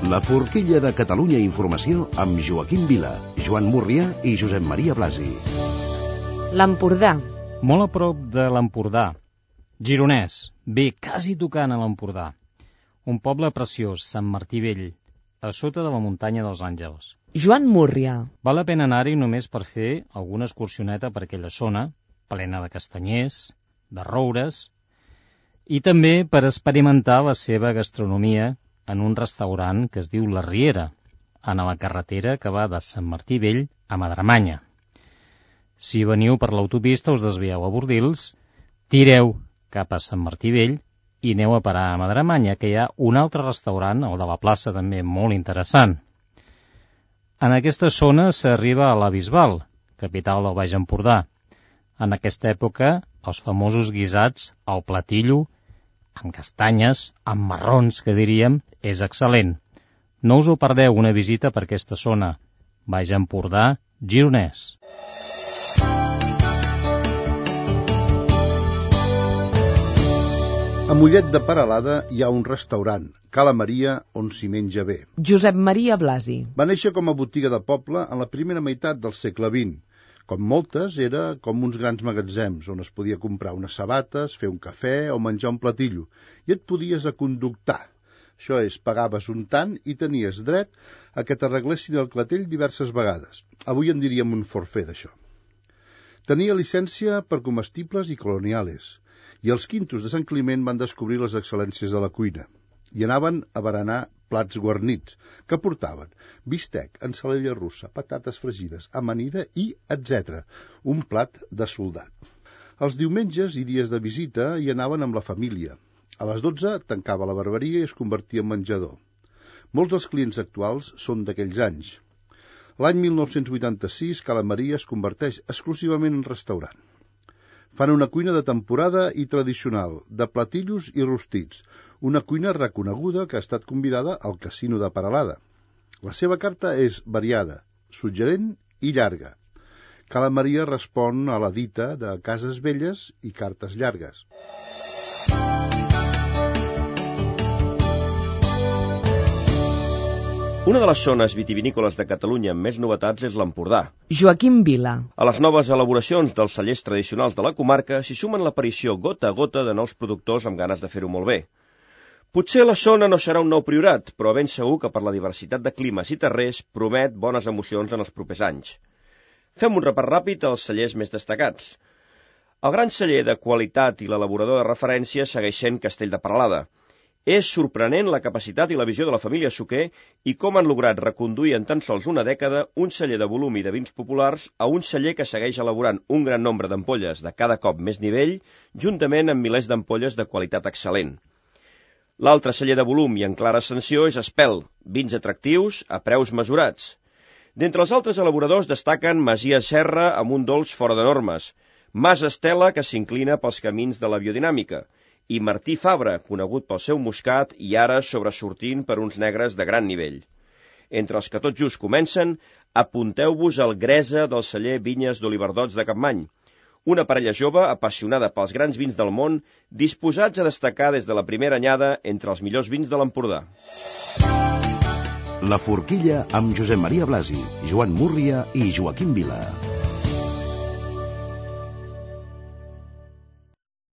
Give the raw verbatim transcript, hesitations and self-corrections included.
La forquilla de Catalunya Informació amb Joaquim Vila, Joan Murrià i Josep Maria Blasi. L'Empordà. Molt a prop de l'Empordà. Gironès, bé, quasi tocant a l'Empordà. Un poble preciós, Sant Martí Vell, a sota de la muntanya dels Àngels. Joan Murrià. Val la pena anar-hi només per fer alguna excursioneta per aquella zona, plena de castanyers, de roures, i també per experimentar la seva gastronomia en un restaurant que es diu La Riera, en la carretera que va de Sant Martí Vell a Madremanya. Si veniu per l'autopista us desvieu a Bordils, tireu cap a Sant Martí Vell i aneu a parar a Madremanya, que hi ha un altre restaurant, el de la plaça també molt interessant. En aquesta zona s'arriba a la Bisbal, capital del Baix Empordà. En aquesta època, els famosos guisats al platillo, amb castanyes, amb marrons, que diríem, és excel·lent. No us ho perdeu, una visita per aquesta zona. Baix Empordà, Gironès. A Mollet de Peralada hi ha un restaurant, Cala Maria, on s'hi menja bé. Josep Maria Blasi. Va néixer com a botiga de poble en la primera meitat del segle vint. Com moltes, era com uns grans magatzems, on es podia comprar unes sabates, fer un cafè o menjar un platillo, i et podies aconductar. Això és, pagaves un tant i tenies dret a que t'arreglessin el clatell diverses vegades. Avui en diríem un forfait d'això. Tenia llicència per comestibles i coloniales, i els quintos de Sant Climent van descobrir les excel·lències de la cuina, i anaven a berenar plats guarnits, que portaven bistec, ensalada russa, patates fregides, amanida i etcètera. Un plat de soldat. Els diumenges i dies de visita hi anaven amb la família. A les dotze tancava la barberia i es convertia en menjador. Molts dels clients actuals són d'aquells anys. L'any mil nou-cents vuitanta-sis, Cala Maria es converteix exclusivament en restaurant. Fan una cuina de temporada i tradicional, de platillos i rostits, una cuina reconeguda que ha estat convidada al Casino de Peralada. La seva carta és variada, suggerent i llarga. Cala Maria respon a la dita de cases velles i cartes llargues. Una de les zones vitivinícoles de Catalunya amb més novetats és l'Empordà. Joaquim Vila. A les noves elaboracions dels cellers tradicionals de la comarca s'hi sumen l'aparició gota a gota de nous productors amb ganes de fer-ho molt bé. Potser la zona no serà un nou priorat, però ben segur que per la diversitat de climes i terrers promet bones emocions en els propers anys. Fem un repàs ràpid als cellers més destacats. El gran celler de qualitat i l'elaborador de referència segueix sent Castell de Peralada. És sorprenent la capacitat i la visió de la família Suquer i com han lograt reconduir en tan sols una dècada un celler de volum i de vins populars a un celler que segueix elaborant un gran nombre d'ampolles de cada cop més nivell, juntament amb milers d'ampolles de qualitat excel·lent. L'altre celler de volum i en clara ascensió és Espel, vins atractius a preus mesurats. D'entre els altres elaboradors destaquen Masia Serra amb un dolç fora de normes, Mas Estela, que s'inclina pels camins de la biodinàmica, i Martí Fabra, conegut pel seu moscat i ara sobresortint per uns negres de gran nivell. Entre els que tot just comencen, apunteu-vos al Gresa del celler Vinyes d'Oliverdots de Capmany, una parella jove apassionada pels grans vins del món, disposats a destacar des de la primera anyada entre els millors vins de l'Empordà. La forquilla amb Josep Maria Blasi, Joan Murrià i Joaquim Vila.